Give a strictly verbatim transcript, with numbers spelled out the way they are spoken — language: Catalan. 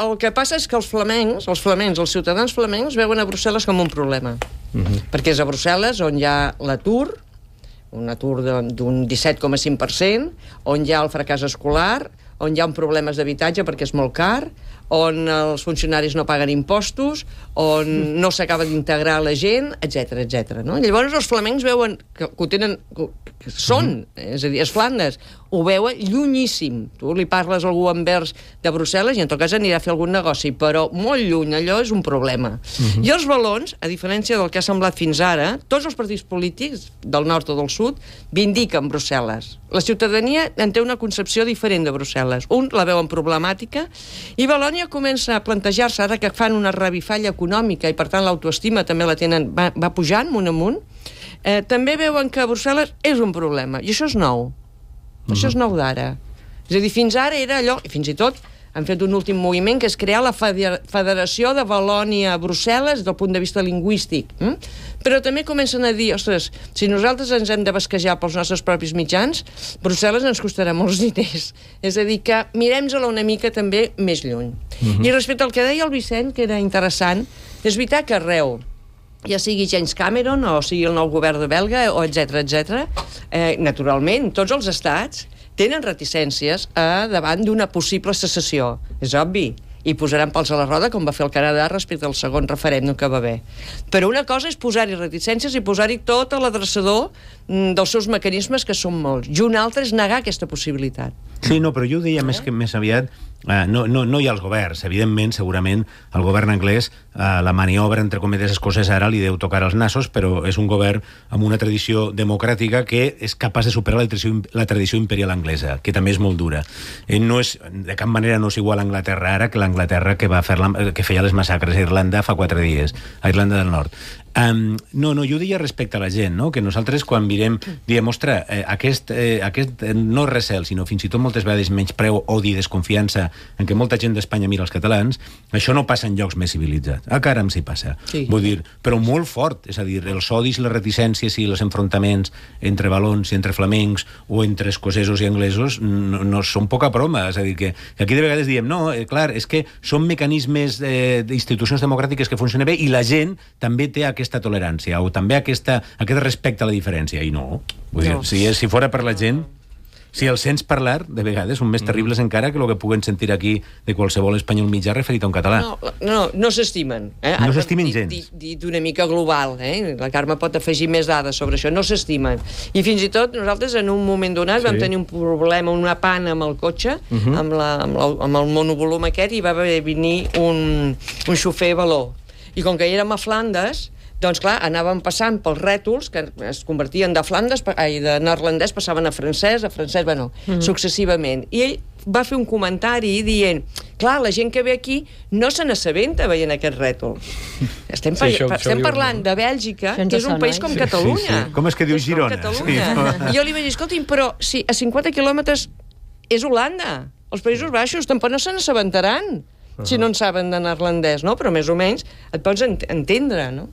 el que passa és que els flamencs, els flamencs, els ciutadans flamencs veuen a Brussel·les com un problema. Uh-huh. Perquè és a Brussel·les on hi ha l'atur, un atur d'un disset coma cinc per cent, on hi ha el fracàs escolar, on hi ha un problemes d'habitatge perquè és molt car, on els funcionaris no paguen impostos, on no s'acaba d'integrar la gent, etcètera, etcètera. No? Llavors els flamencs veuen que, que ho tenen, que, que són, és a dir, és Flandes, ho veuen llunyíssim. Tu li parles a algú envers de Brussel·les i en tot cas anirà a fer algun negoci, però molt lluny, allò és un problema. Uh-huh. I els valons, a diferència del que ha semblat fins ara, tots els partits polítics del nord o del sud vindiquen Brussel·les. La ciutadania en té una concepció diferent de Brussel·les. Un la veuen problemàtica i Valònia comença a plantejar-se, ara que fan una revifalla econòmica i per tant l'autoestima també la tenen, va, va pujant amunt amunt, eh, també veuen que Brussel·les és un problema, i això és nou. Uh-huh. Això és nou d'ara. És a dir, fins ara era allò, i fins i tot han fet un últim moviment que és crear la Federació de Valònia-Brussel·les del punt de vista lingüístic. Mm? Però també comencen a dir, ostres, si nosaltres ens hem de basquejar pels nostres propis mitjans, Brussel·les ens costarà molts diners. És a dir, que mirem-la una mica també més lluny. Uh-huh. I respecte al que deia el Vicent, que era interessant, és veritat que arreu, ja sigui James Cameron o sigui el nou govern de Belga, o etcètera, etcètera, eh, naturalment, tots els estats tenen reticències a davant d'una possible secessió. És obvi. I posaran pals a la roda, com va fer el Canadà respecte al segon referèndum que va haver. Però una cosa és posar-hi reticències i posar-hi tot a l'adreçador dels seus mecanismes, que són molts. I una altra és negar aquesta possibilitat. Sí, no, però jo ho deia eh? més que més aviat, eh, no, no, no hi ha els governs. Evidentment, segurament, el govern anglès, eh, la maniobra, entre cometes, coses ara li deu tocar als nassos, però és un govern amb una tradició democràtica que és capaç de superar la tradició, la tradició imperial anglesa, que també és molt dura. Eh, no és, de cap manera no és igual a Anglaterra ara que l'Anglaterra que, va fer la, que feia les massacres a Irlanda fa quatre dies, a Irlanda del Nord. Um, no, no, jo deia respecte a la gent, no? Que nosaltres quan mirem, diem, ostres, eh, aquest, eh, aquest eh, no recel, sinó fins i tot moltes vegades menyspreu, odi, desconfiança en què molta gent d'Espanya mira els catalans, això no passa en llocs més civilitzats. A Caram s'hi passa. Sí. Vull dir, però molt fort, és a dir, els odis, les reticències i els enfrontaments entre valons i entre flamencs o entre escocesos i anglesos no, no són poca broma, és a dir, que, que aquí de vegades diem, no, eh, clar, és que són mecanismes eh, d'institucions democràtiques que funcionen bé i la gent també té aquesta tolerància o també aquesta, aquest respecte a la diferència, i no. Vull dir, no. Si, si fora per la gent, si els sents parlar, de vegades són més terribles mm. encara que el que puguen sentir aquí de qualsevol espanyol mitjà referit a un català. No, no, no s'estimen. Eh? No s'estimen gens. Dit, dit una mica global, eh? La Carme pot afegir més dades sobre això. No s'estimen. I fins i tot nosaltres en un moment donat sí. vam tenir un problema, una pana amb el cotxe, uh-huh. amb, la, amb, la, amb el monovolum aquest, i va venir un, un xofer való. I com que érem a Flandes, doncs clar, anàvem passant pels rètols que es convertien de Flandes, ai, de neerlandès passaven a francès, a francès, bueno, mm. successivament. I ell va fer un comentari dient, clar, la gent que ve aquí no se n'assabenta veient aquest rètol. Estem, sí, això, estem això parlant de Bèlgica, que és un país com Catalunya. Sí, sí. Com és que diu Girona? Sí. I jo li vaig dir, escolti'm, però si a cinquanta quilòmetres és Holanda, els Països Baixos, tampoc no se n'assabentaran. Si no en saben de neerlandès, no? Però més o menys et pots entendre, no?